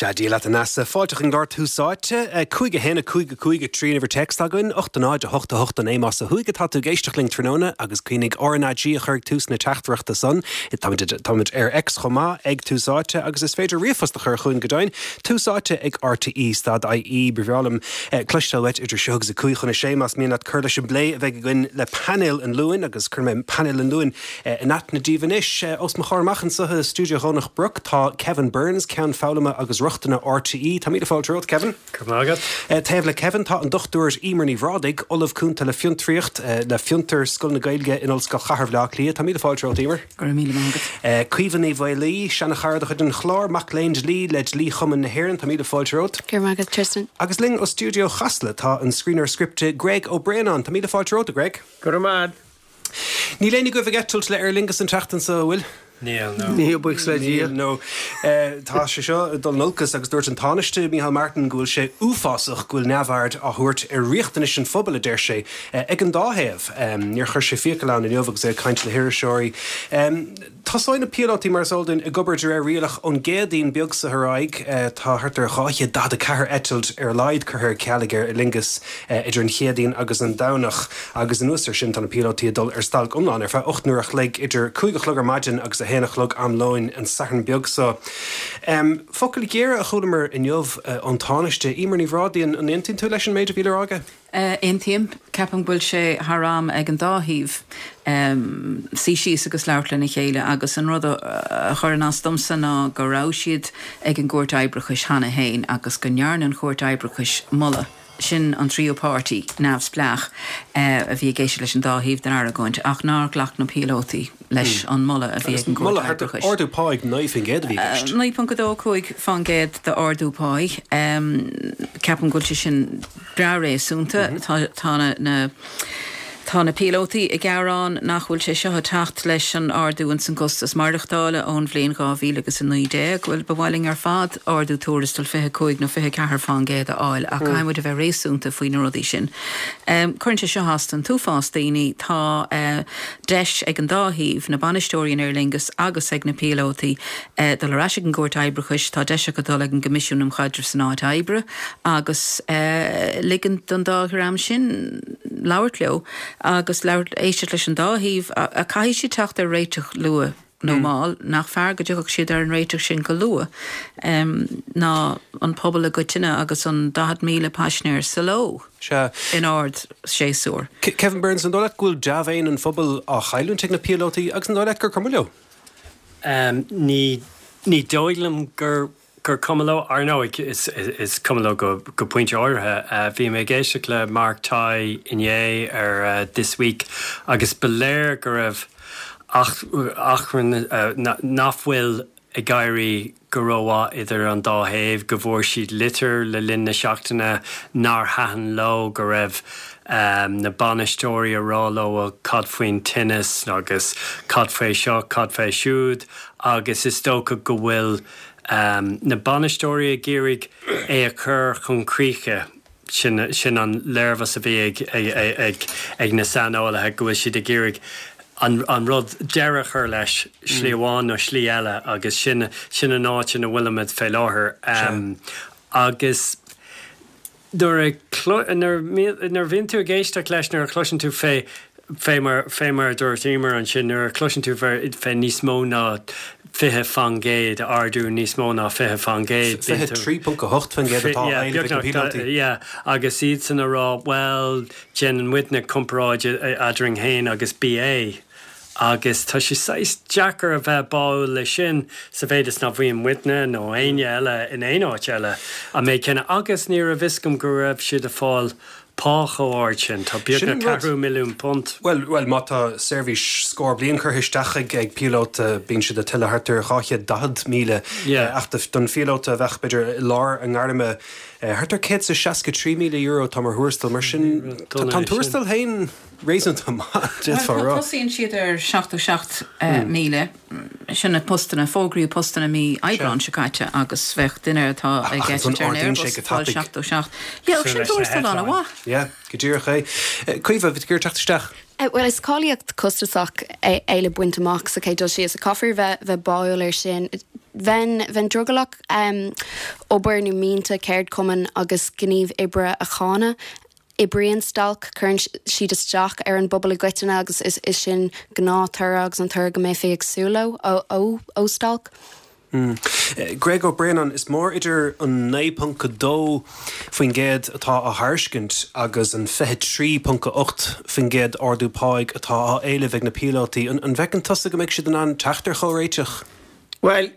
Sea, Dia leat a Neasa. Fáilte chuig an gclár Tús Áite. 5 1 5 5 3 an uimhir téacs againn, 8 0 8 8 9 más ó thuaidh atá tú ag éisteacht linn tráthnóna agus cuimhnigh RnaG a chur ag tús na teachtaireachta san. Táimid ar X chomh maith ag Tús Áite agus is féidir ríomhphost a chur chugainn go deimhin, Tús Áite ag RTÉ stad IE. Ba bhreá liom cloisteáil uait idir seo agus a 5 chun a sé más mian leat cur leis an bplé a bheidh againn le painéal an Luain agus cuirfidh mé painéal an Luain In aithne daoibh anois, os mo chomhair amach anseo i stiúideo Dhomhnach Broc, tá Kevin Burns, Ceann Foghlama agus Rochtana RTÉ. Tá míle fáilte romhat, Kevin. Go raibh maith agat. Taobh le Kevin tá an Dr Emer Ní Bhrádaigh, Ollamh Cúnta le Fiontraíocht le Fiontar, Scoil na Gaeilge in Ollscoil Chathair Bhaile Átha Cliath. Tá míle fáilte romhat, Emer. Go raibh míle maith agat. Caoimhe Ní Mhaolaí, seana-chara de chuid an chláir, mac léinn dlí le Dlí-Chumann na hÉireann. Tá míle fáilte romhat. Go raibh maith agat, Tristan. Agus linn ó stiúideo Chasla tá an scríbhneoir scripte Greg Ó Braonáin. Tá míle fáilte romhat, a Greg. Go raibh maith agat. Níl éinne agaibh ag eitilt le Aer Lingus an tseachtain seo, an bhfuil? Níl, no. Níl, buíochas le Dia. Níl, no. Tá sé seo ag dul in olcas agus dúirt an Tánaiste, Micheál Martin, go bhfuil sé uafásach go bhfuil neamhaird á thabhairt ar riachtanais an phobail, a deir sé, ag an dá thaobh. Níor chuir sé fiacail ann inniu agus é ag caint le hiriseoirí. Tosóidh na píolótaí, mar is eol dúinn, ag obair de réir rialach ón gCéadaoin beag seo ar aghaidh. Tá thart ar 244 eitilt ar a laghad curtha ar ceal ag Aer Lingus idir an Chéadaoin agus an Domhnach agus anuas air sin tá na píolótaí ag dul ar stailc iomlán ar feadh 8 n-uair a chloig idir 5 a chlog ar maidin agus 1 a chlog am lóin an Satharn beag seo. Focail ghéara a chualamar inniu ón Tánaiste, Emer Ní Bhrádaigh, an aontaíonn tú leis an méid a bhí le rá aige? Aontaím. Ceapaim go bhfuil sé thar am ag an dá thaobh suí síos agus labhairt lena chéile agus an rud a chuireann as domsa ná go raibh siad ag an gCúirt Oibreachais cheana féin agus go ndearna an Chúirt Oibreachais moladh, sin an tríú páirtí neamhspleách a bhí ag éisteacht leis an dá thaobh den argóint, ach nár ghlac na píolótaí leis an moladh a bhí ag an gCúirt Oibreachais. Ardú pá 9% a bhí i gceist. 9.25% d'ardú páí. Ceapaim go bhfuil sé sin breá réasúnta. Tá na Tá na píolótaí ag gearán nach bhfuil sé seo ag teacht leis an ardú ins an gcostas maireachtála ón bhliain 2019. Bhuel, ba mhaith linn ar fad ardú tuarastail 25 nó 24 fán gcéad a fháil ach caithfidh muid a bheith réasúnta faoi na rudaí sin. Cuireann sé seo as don t-uafás daoine. Tá deis ag an dá thaobh, na bainisteoirí in Aer Lingus agus ag na píolótaí, dul ar ais ag an gCúirt Oibreachais, tá deis acu dul ag an gCoimisiún um Chaidreamh san Áit Oibre agus ligean don dá dhream sin labhairt leo agus labhairt, éisteacht leis an dá thaobh. Caithfidh siad teacht ar réiteach luath nó mall, nach fearr go dtiocfadh siad ar an réiteach sin go luath ná an pobal i gcoitinne agus an 40,000 paisinéir sa ló in ard-séasúr. Kevin Burns, an dóigh leat go bhfuil dea-mhéin an phobail á chailliúint ag na píolótaí agus an dóigh leat gur cuma leo? Ní ní dóigh liom gur gur cuma leo. Ar ndóigh, is is cuma leo go go pointe áirithe. Bhí mé ag éisteacht le Mark Tighe inné ar This Week agus ba léir go raibh achrann nach bhfuil ag éirí go rómhaith idir an dá thaobh, go bhfuair siad litir le linn na seachtaine nár thaitin leo, go raibh na bainisteoirí ag rá leo bhuel cad faoin tinneas agus cad faoi seo, cad faoi siúd agus is dócha go bhfuil na bainisteoirí ag iarraidh é a chur chun críche. Sin, sin an léirmheas a bhí ag, ag, ag, ag na saineolaithe, go bhfuil siad ag iarraidh an, an rud, deireadh a chur leis, slí amháin nó slí eile agus sin, sin an áit ina bhfuilimid fé láthair. Agus nuair a, nuair, nuair a bhíonn tú ag éisteacht leis, nuair a chloiseann tú fé, Fé mar, fé mar a dúirt Emer ansin, nuair a chloiseann tú fé níos mó ná 20 fan gcéad, ardú níos mó ná 20 fan gcéad, bíonn tú. 23.8 fan gcéad atá á éileamh ag na píolótaí. Yeah, agus iadsan a rá, bhuel, déanann muidne comparáid eadrainn féin agus BA. Agus tá sé saghas deacair a bheith báúil leis sin sa mhéid is nach bhfaigheann muidne nó éinne eile in aon áit eile an méid céanna. Agus ní raibh fhios agam go raibh siad ag fáil pá chomh ard sin. Tá beagnach ceathrú milliún punt. Bhuel, bhuel, má tá seirbhís scór bliain curtha isteach ag ag píolóta, bíonn siad ag tuilleamh thart ar 240,000. Ach don phíolóta a bheadh, b'fhéidir, i lár a ngairme, thart ar €163,000 atá mar thuarastal. Mar sin, tá an tuarastal féin réasúnta maith, d'fhéadfá a rá. Tosaíonn siad ar 77,000. Sin na postanna, fógraíodh postanna mí Aibreáin seo caite agus bheadh duine atá ag eitilt ar an Airbus ag fáil 77. Yeah, sin tuarastal an-mhaith. Yeah, go díreach é. Caoimhe, bhí tú ag iarraidh teacht isteach? Bhuel, is cáilíocht costasach é le baint amach sa chéad dul síos. Caithfear bheith bheith báúil air sin. Bheinn, bheinn drogallach obair nó mianta ceardchumainn agus gníomh oibre a cháineadh. Oibríonn stailc, cuireann siad isteach ar an bpobal i gcoitinne agus is sin gnáth-toradh agus an toradh go mbeifí ag súil leo ó stailc. Greg Ó Braonáin, Is mór idir an 9.2% atá á thairiscint agus an 23.8% ardú páigh atá á éileamh ag na píolótaí. An bhfeiceann tusa go mbeidh siad in ann teacht ar chomhréiteach? Bhuel,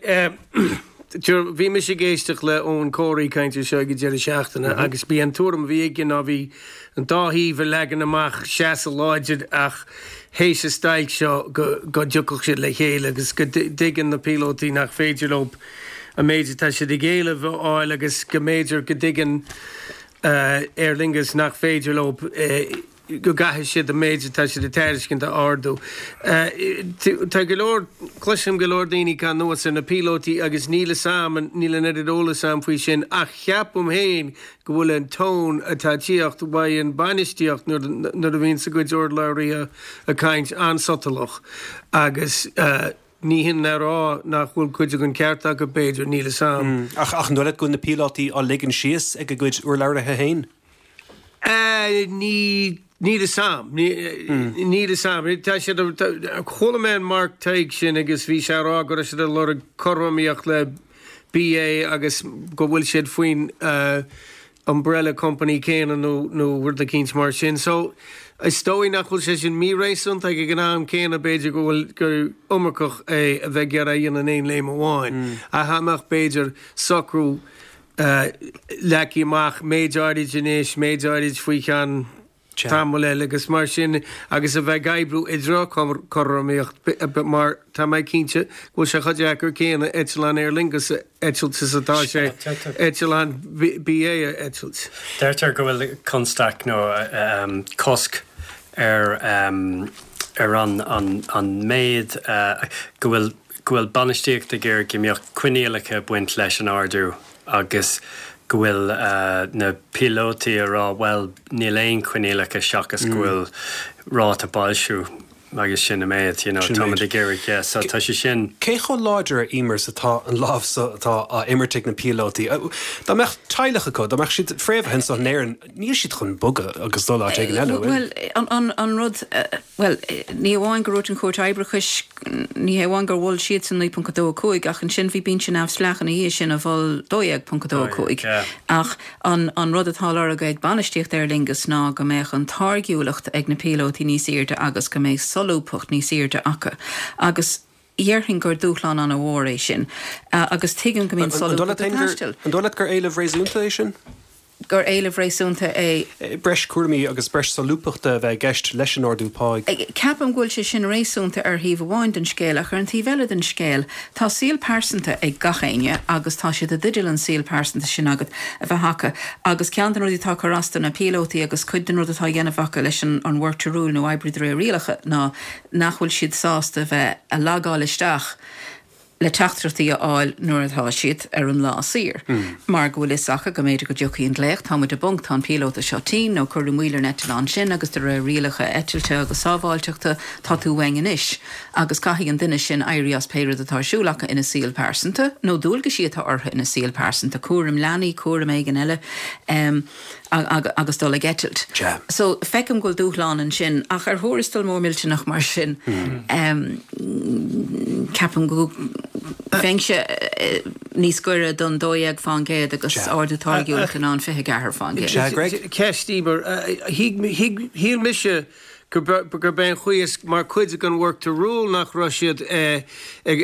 bhí mise ag éisteacht le Eoghan Corry ag caint ar seo ag an deireadh seachtaine agus b'í an tuairim a bhí aige ná bhí an dá thaobh ag leagan amach seasamh láidir ach théis an stailc seo go dtiocfadh siad le chéile agus go dtuigeann na píolótaí nach féidir leo an méid atá siad ag éileamh a fháil agus go mb'fhéidir go dtuigeann Aer Lingus nach féidir leo go gcaithfidh siad an méid atá siad ag tairiscint a ardú. Tá go leor, cloisim go leor daoine ag cur anuas ar na píolótaí agus níl fhios a'm, níl an oiread eolas a'm faoi sin ach ceapaim féin go bhfuil an tone atá ag tíocht uaidh an bainistíocht nuair a bhíonns a gcuid urlabhraithe ag caint an-sotalach agus ní hin le rá nach bhfuil cuid den ceart acu b'fhéidir, níl fhios a'm. Ach an dóigh leat go bhfuil na píolótaí á ligean síos ag a gcuid urlabhraithe féin? Ní, níl fhios a'm. Níl fhios a'm. Tá siad, chuala mé an Mark Tighe sin agus bhí sé ag rá go raibh siad ag lorg cothromaíocht le BA agus go bhfuil siad faoin umbrella company céanna nó nó rud eicínt mar sin. So, is dóigh nach bhfuil sé sin míréasúnta ach ag an am céanna b'fhéidir go bhfuil gur iomarcach é a bheith ag iarraidh a dhéanamh in aon léim amháin. Ach dá mbeadh b'fhéidir socrú leagtha amach méid áirid anois, méid áirid faoi cheann tamall eile agus mar sin agus a bheith ag oibriú i dtreo cothromaíocht mar tá mé cinnte go bhfuil sé chomh deacair céanna eitleán Aer Lingus a eitilt is atá sé eitleán BA a eitilt. Deirtear go bhfuil constaic nó cosc ar ar an an méid go bhfuil go bhfuil bainistíocht ag iarraidh go mbeadh coinníollacha ag baint leis an ardú agus go bhfuil na píolótaí ag rá bhuel níl aon choinníollacha seachas go bhfuil ráta boilsciú agus sin an méid, you know, táimid ag iarraidh, yeah, so tá sé sin. Cé chomh láidir, a Emer, is atá an lámh so atá á imirt ag na píolótaí? Dá mbeadh teaghlach acu, dá mbeadh siad fréamhaithe anso in Éirinn, níl siad chun bogadh agus dul áit éigin eile, an bhfuil? Bhuel, an rud, bhuel, ní amháin gur dhúirt an Chúirt Oibreachais, Ní hé amháin gur mhol siadsan 9.25 ach ansin bhí binse neamhspleách ina dhiaidh sin a mhol 12.25. Ach an rud atá á lorg ag bainistíocht Aer Lingus ná go mbeadh an táirgiúlacht ag na píolótaí níos airde agus go mbeadh solúbthacht níos airde acu. Agus dhéarfainn gur dúshlán an-mhór é sin. Agus tuigim go mbíonn solúbthacht ag taisteal. An dóigh leat gur éileamh réasúnta é sin? gur éileamh réasúnta é. Breis cúraimí agus breis solúbthachta a bheith i gceist leis an ardú páigh. Ceapaim go bhfuil sé sin réasúnta ar thaobh amháin den scéal ach ar an taobh eile den scéal tá saol pearsanta ag gach éinne agus tá siad i dteideal an saol pearsanta sin agat a bheith acu agus ceann de na rudaí atá ag cur as do na píolótaí agus cuid den rud atá á dhéanamh acu leis an work to rule nó oibriú de réir rialacha ná nach bhfuil siad sásta a bheith a lagáil isteach le teachtaireachtaí a fháil nuair atá siad ar an lá saor, mar go bhfuil fhios acu go mb'fhéidir go dtiocfaidh an glaoch, tá muid i bponc, tá an píolóta seo tinn, nó cuireadh moill ar an eitleán sin agus de réir rialacha eitilte agus sábháilteachta, tá tú uainn anois. Agus caithfidh an duine sin éirí as pé rud atá ar siúl acu ina saol pearsanta, nó dualgaisí atá orthu ina saol pearsanta, cúram leanaí, cúram éigin eile. agus dul ag eitilt. So, feicim go bhfuil dúshlán ansin, ach ar thuarastal mór millteanach mar sin, ceapaim go mbeinnse níos gaire don 12% agus ardú táirgiúlachta ná an 24%. Ceist, Emer, shíl mise gurb é an chaoi is mar chuid den work to rule nach raibh siad ag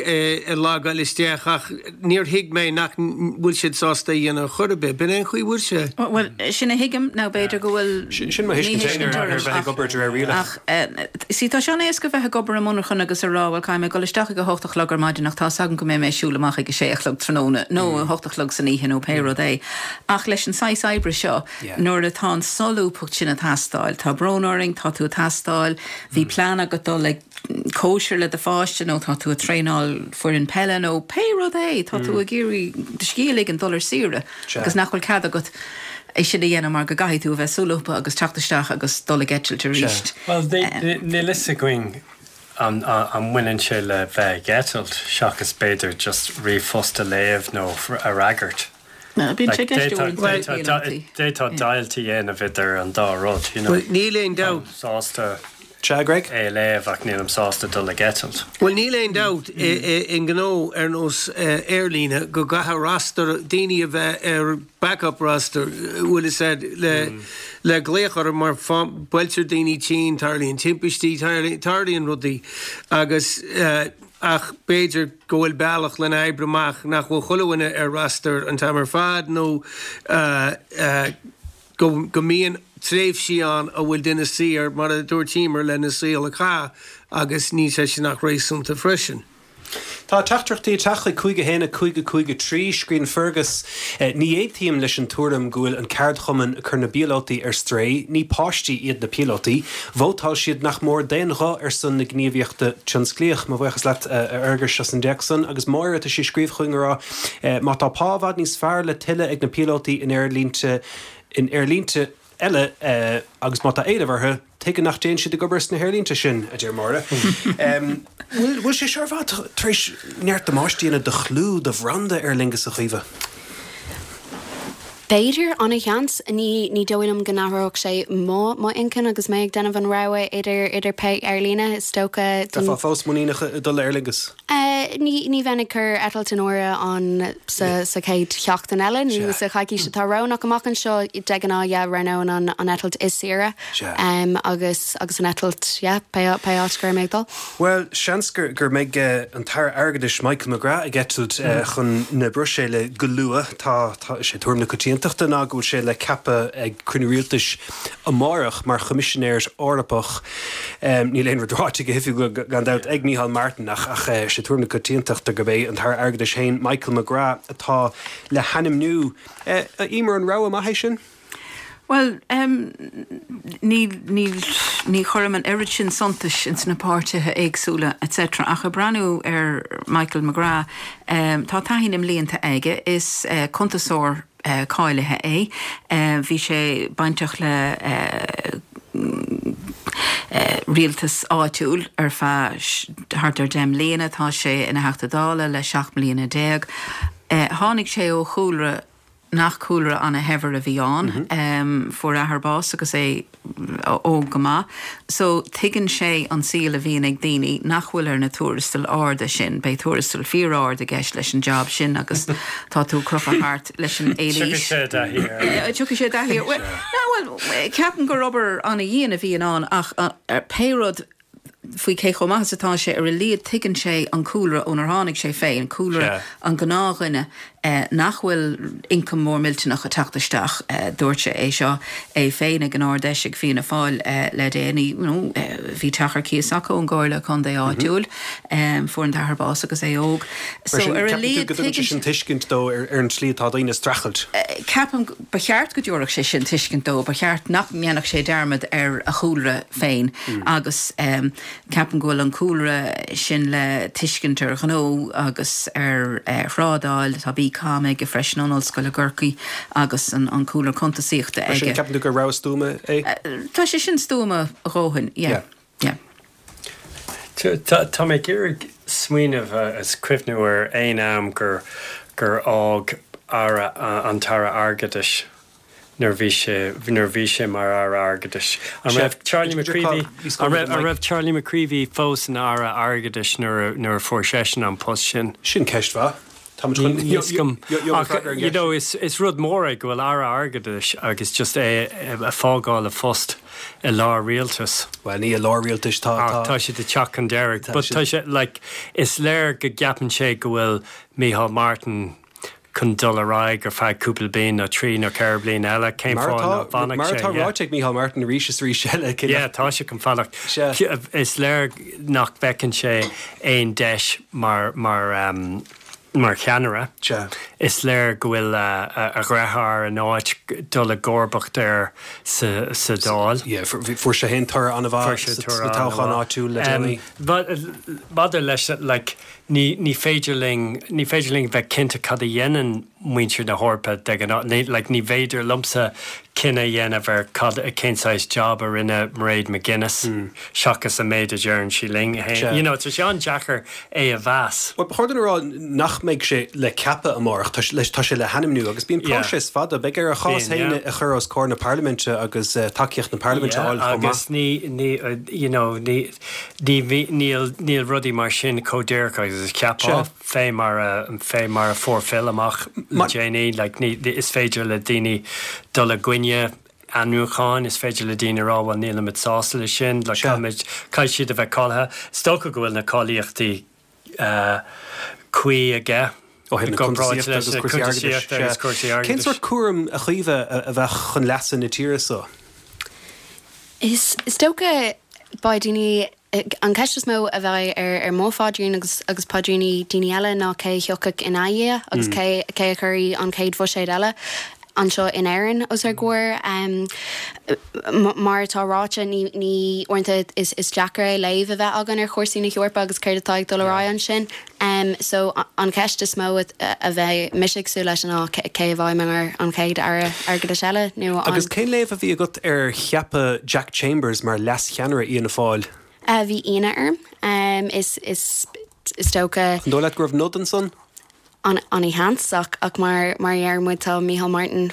logáil isteach ach níor thuig mé nach bhfuil siad sásta é a dhéanamh ar chor ar bith. B'in é an chaoi a bhfuil sé. Bhuel, sin a thuigim nó b'fhéidir go bhfuil Sin mo thuiscint féin ar bheith ag obair de réir rialach. Ach, see, tá sé an-éasca bheith ag obair i monarchan agus a rá, bhuel, caithfidh mé dul isteach ag a hocht a chlog ar maidin ach tá 'fhios agam go mbeidh mé ag siúl amach ag a sé a chlog tráthnóna nó a hocht a chlog san oíche nó pé rud é. Ach leis an saghas oibre seo, Nuair atá an solúbthacht sin ag teastáil, tá brón orainn, tá tú ag teastáil, bhí plean agat dul ag cóisir le do pháiste nó tá tú ag traenáil foireann peile nó pé rud é, tá tú ag iarraidh do scíth a ligean, dul ar saoire agus nach bhfuil cead agat é sin a dhéanamh mar go gcaithfidh tú a bheith solúbtha agus teacht isteach agus dul ag eitilt arís. Bhuel, níl fhios againn. An mbaineann sé le bheith ag eitilt seachas b'fhéidir just ríomhphost a léamh nó a fhreagairt? Bíonn sé i gceist uaireanta ag píolótaí. D'fhéadfá deighilt a dhéanamh idir an dá rud, you know. Bhuel, níl aon dabht. Táim sásta Sea, Greg? é a léamh ach nílim sásta dul ag eitilt. Bhuel, níl aon dabht i ngnó ar nós aerlíne go gcaithfidh roster, daoine a bheith ar backup roster, bhfuil fhios a'd, le le glaoch orthu mar buailtear daoine tinn, tarlaíonn timpistí, tarlaíonn rudaí agus ach b'fhéidir go bhfuil bealach lena oibriú amach nach bhfuil chuile dhuine ar roster an t-am ar fad nó go go mbíonn tréimhsí ann a bhfuil duine saor mar a dúirt Emer lena saol a chaitheamh agus níl sé sin ach réasúnta freisin. Tá teachtaireachtaí ag teacht chuig 5 1 5 5 3. Scríobhann Fergus, Ní aontaím leis an tuairim go bhfuil an ceardchumann ag cur na bpíolótaí ar strae. Ní páistí iad na píolótaí. Vótáil siad nach mór d'aon ghuth ar son na gníomhaíochta tionsclaíoch. Mo bhuíochas leat, a Fherguis, as an dtéacs san. Agus Máire, tá sí ag scríobh chugainn ag rá, Má tá pá i bhfad níos fearr le tuilleadh ag na píolótaí in aerlínte in aerlínte eile agus má tá éileamh orthu, Tuige nach dtéann siad ag obair sna haerlínte sin, a deir Máire. Bhfuil sé seo ar fad tar éis neart damáiste a dhéanamh do chlú, do bhranda Aer Lingus, a Chaoimhe? B'fhéidir, an-sheans. Ní ní dóigh liom go n-athródh sé mo mo inchinn agus mé ag déanamh an rogha idir idir pé aerlíne, is dócha. Bheifeá fós muiníneach ag dul le Aer Lingus? Ní ní bheinn ag cur eitilt in áirithe an sa sa chéad sheachtain eile nó sa choicís atá romhainn ach amach anseo de ghnáth yeah roghnóinn an an eitilt is saoire agus agus an eitilt yeah pé pé áit go raibh mé ag dul. Bhuel, seans gur gur mbeidh an tAire Airgeadais Michael McGrath ag eitilt chun na Bruiséile go luath. Tá tá sé tuairim na coitiantachta ná go bhfuil sé le ceapadh ag cruinniú rialtais amárach mar Choimisinéir Eorpach. Níl aon rud ráite go hoifigiúil gan dabht ag Micheál Martin ach ach sé tuairim na coitiantachta gurb é an tAire Airgeadais féin, Michael McGrath, atá le hainmniú. A Emer, an rogha maith é sin? Bhuel, ní, ní, ní chuirim an oiread sin suntais ins na páirtithe éagsúla etc. Ach ag breathnú ar Michael McGrath, tá taithí na mblianta aige, is cuntasóir cáilithe é. Bhí sé bainteach le rialtas áitiúil ar feadh thart ar 10 mbliana. Tá sé ina Theachta Dála le 17 mbliana. Tháinig sé ó chúlra nach cúlra ana-shaibhir a bhí ann. Fuair a athair bás agus é óg go maith. So, tuigeann sé an saol a bhíonn ag daoine nach bhfuil ar na tuarastail arda sin. Beidh tuarastal fíor-ard i gceist leis an jab sin agus tá tú ag crochadh thart leis an éilís. Tiocfaidh sé i dtaithí air. Tiocfaidh sé i dtaithí air. Bhuel, bhuel, ceapaim gur obair ana-dhian a bhíonn ann ach pé rud faoi cé chomh maith is atá sé, ar a laghad tuigeann sé an cúlra ónar tháinig sé féin, cúlra an ghnáthdhuine nach bhfuil ioncam mór millteanach ag teacht isteach. Dúirt sé é seo é féin ag an Ard-Fheis ag Fianna Fáil le déanaí. You know, bhí teach ar cíos acu ón gComhairle Contae áitiúil. Fuair an t-athair bás agus é óg. So, ar a laghad tuigeann sé sin tuiscint dó ar an tslí atá daoine ag streachailt. Ceapaim, ba cheart go dtabharfadh sé sin tuiscint dó, ba cheart nach ndéanfadh sé dearmad ar a chúlra féin agus ceapaim go bhfuil an cúlra sin le tuiscint ar ghnó agus ar thrádáil, tá BCom aige freisin ón Ollscoil i gCorcaigh agus an cúlra cuntasaíochta aige. Mar sin, ceapann tú gur rogha stuama é? Tá sé sin stuama a dhóthain, yeah, yeah. Tá mé ag iarraidh smaoineamh is cuimhniú ar aon am gur gur fhág Aire, an tAire Airgeadais nuair a bhí sé, nuair a bhí sé mar Aire Airgeadais. An raibh Charlie McCreevy, an raibh, an raibh Charlie McCreevy fós ina Aire Airgeadais nuair a, nuair a fuair seisean an post sin? Sin ceist mhaith. Tá muid chun, Níl a fhios agam. Ach, you know, is, is rud mór é go bhfuil Aire Airgeadais agus just é a fágáil a phost i lár rialtais. Bhuel, ní i lár rialtais, tá, tá. Ach tá siad ag teacht chun deiridh. But tá sé, like, is léir go gceapann sé go bhfuil Micheál Martin, chun dul ar aghaidh ar feadh cúpla bliain nó trí nó ceithre bliana eile, cén fáth nach bhfanfadh sé? Mar atá ráite ag Micheál Martin arís is arís eile. Yeah, tá sé chun fanacht. Is léir nach bhfeiceann sé aon deis mar mar mar cheannaire. Is léir go bhfuil a dheartháir in áit dul i gcomharbacht air sa sa Dáil. Yeah, fuair sé féin toradh an-mhaith sna toghcháin áitiúil le déanaí. Maidir leis, like, Ní, ní féidir linn, ní féidir linn bheith cinnte cad a dhéanann muintir na hEorpa de ghnáth. Like, ní féidir liomsa cinneadh a dhéanamh ar cad, cén saghas job a rinne Mairead McGuinness seachas an méid a deireann sí linn féin. You know, tá sé an-deacair é a mheas. Bhuel, ba chóir dúinn a rá nach mbeidh sé le ceapadh amárach, tá tá sé le hainmniú agus bíonn próiseas fada. Beidh air a chás féin a chur os comhair na parlaiminte agus tacaíocht na parlaiminte a fháil chomh maith. Agus ní, ní, you know, ní, ní, níl, níl rudaí mar sin chomh díreach agus a cheapfá. Fé mar a, fé mar a fuair Phil amach le déanaí, like, ní, is féidir le daoine dul i gcoinne ainmniúcháin, is féidir le daoine a rá, bhuel, nílimid sásta leis sin, like, caithfimid, caithfidh siad a bheith cáilithe. Is dócha go bhfuil na cáilíochtaí cuí aige Ó thaobh na cuntasaíochta agus cúrsaí airgeadais. Cén sórt cúram, a Chaoimhe, a bheadh chun leasa na tíre so? Is dócha beidh daoine An cheist is mó a bheidh ar mo phaidrín agus agus paidríní daoine eile ná cé a thiocfadh ina dhiaidh agus cé cé a chuirfidh an chéad bhuiséad eile anseo in Éirinn os ár gcomhair. Mar atá ráite, ní ní uaireanta is is deacair é léamh a bheith againn ar chúrsaí na hEorpa agus céard atá ag dul ar aghaidh ansin. So an cheist is mó a bheidh mise ag súil leis ná cé a bheidh mar an chéad Aire Airgeadais eile nó an. Agus cén léamh a bhí agat ar cheapadh Jack Chambers mar leas-cheannaire Fhianna Fáil? Bhí ionadh orm. Is is is dócha. An dóigh leat go raibh nod ansan? An-sheans, ach mar mar a deir muid tá Micheál Martin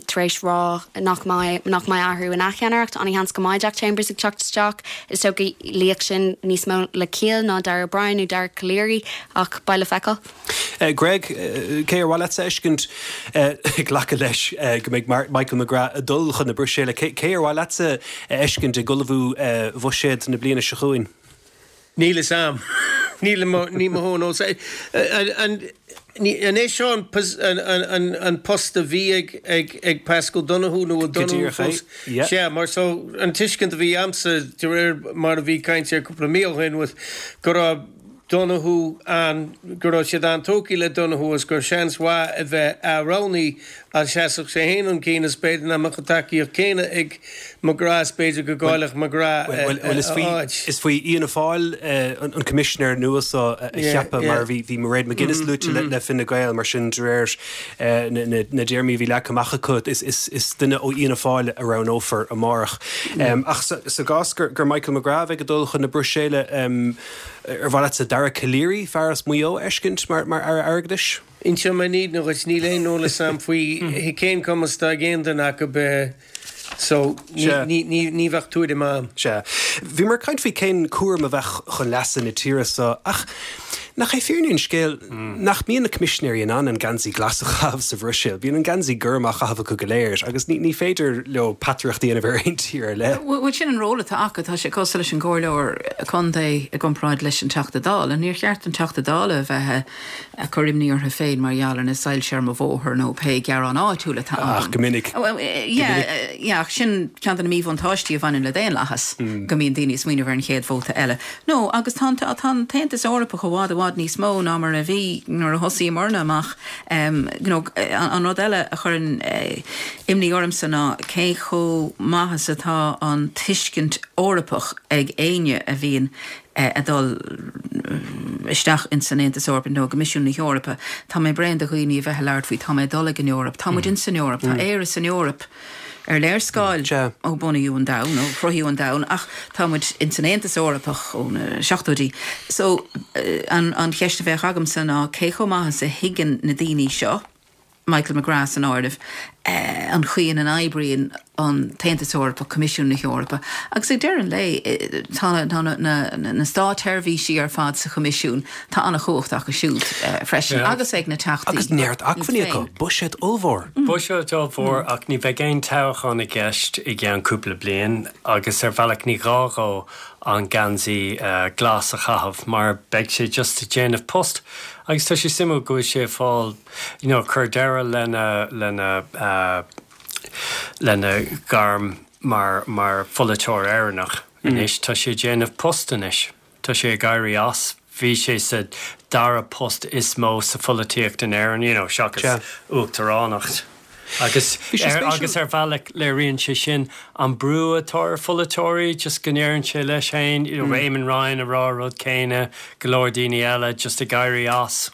tar éis rá nach mbeidh nach mbeidh athrú ina cheannaireacht. An-sheans go mbeidh Jack Chambers ag teacht isteach. Is dócha luífeadh sin níos mó le ciall ná Darragh O'Brien nó Dara Calleary ach beidh le feiceáil. Greg, cé ar mhaith leatsa a fheiscint ag glacadh leis go mbeidh Michael McGrath ag dul chun na Bruiséile, cé ar mhaith leatsa a fheiscint ag ullmhú bhuiséad na bliana seo chugainn? Níl fhios a'm. Níl ní mo thóin An an é seo an an post a bhí ag ag ag Paschal Donohoe nó bhfuil Donohoe fós? Sea, mar so an tuiscint a bhí a'msa de réir mar a bhí caint air cúpla mí ó shin was go raibh Donohoe an go raibh siad an-tógtha le Donohoe agus gur seans mhaith a bheith ath-roghnaithe Ach sheasfadh sé fhéin chun cinn is b'fhéidir nach mbeadh an tacaíocht céanna ag McGrath is b'fhéidir go gcaillfeadh McGrath a áit. Is faoi Fhianna Fáil an coimisinéir nua seo a cheapadh mar bhí Mairead McGuinness luaite le Fine Gael mar sin de réir na dtéarmaí a bhí leagtha amach acu is duine ó Fhianna Fáil a roghnófar amárach. Ach sa gcás gur Michael McGrath a bheidh ag dul chun na Bruiséile ar mhaith leatsa Dara Calleary, fear as Maigh Eo, a fheiscint mar Aire Airgeadais? Inseoidh mé an fhírinne dhuit, níl aon eolas a'm faoi cén cumas atá ag aon duine acu so ní bheadh tuairim a'm. Sea. Bhíomar ag caint faoi cén cúram a bheadh chun leasa na tíre seo ach nach é fírinne an scéil nach mbíonn na coimisinéirí in ann an geansaí glas a chaitheamh sa Bhruiséil. Bíonn an geansaí gorm á chaitheamh acu go léir agus ní féidir leo peataireacht a dhéanamh ar aon tír ar leith. Bhuel sin an ról atá acu. Tá sé cosúil leis an gcomhairleoir contae i gcomparáid leis an Teachta Dála. Níor cheart don Teachta Dála a bheith ag cur imní orthu féin mar gheall ar na soilse ar mo bhóthar nó pé gearán áitiúil atá agam. Ach go minic. Yeah, yeah, ach sin ceann de na míbhuntáistí a bhaineann le daonlathas, go mbíonn daoine ag smaoineamh ar an chéad vóta eile. No, agus tá an, tá an tAontas Eorpach i bhfad, i bhfad níos mó ná mar a bhí nuair a thosaíomarna amach. You know, an rud eile a chuireann imní ormsa ná cé chomh maith is atá an tuiscint Eorpach ag éinne a bhíonn ag dul isteach ins an Aontas Eorpach nó i gCoimisiún na hEorpa. Tá mé bréan de dhaoine a bheith ag labhairt faoi tá mé ag dul ag an Eoraip. Tá muid ins an Eoraip. Tá Éire san Eoraip ar léarscáil ó bunaíodh an domhan, ó chruthaíodh an domhan, ach tá muid ins an Aontas Eorpach ó na seachtóidí. So, an cheist a bheadh agamsa ná cé chomh maith is a thuigeann na daoine seo, Michael McGrath san áireamh, an chaoi ina n-oibríonn an tAontas Eorpach, Coimisiún na hEorpa. Agus ag deireadh an lae, tá na státsheirbhísí ar fad sa Choimisiún, tá an-chumhacht acu siúd freisin, agus ag na Teachtaí Agus neart acmhainní acu, buiséad ollmhór. Buiséad ollmhór, ach ní bheidh aon toghchán i gceist i gceann cúpla bliain, agus ar bhealach ní gá dhó an geansaí glas a chaitheamh mar beidh sé just ag déanamh post. Agus tá sé suimiúil go bhfuil sé ag fáil you know, cur deireadh lena, lena, lena ghairm mar, mar pholaiteoir Éireannach anois. Tá sé ag déanamh post anois. Tá sé ag éirí as. Bhí sé sa dara post is mó sa pholaitíocht in Éirinn, you know, seachas uachtaránacht. Agus, agus ar bhealach léiríonn sé sin an brú atá ar pholaiteoirí, just go ndeireann sé leis féin, you know, Eamon Ryan ag rá an rud céanna, go leor daoine eile just ag éirí as.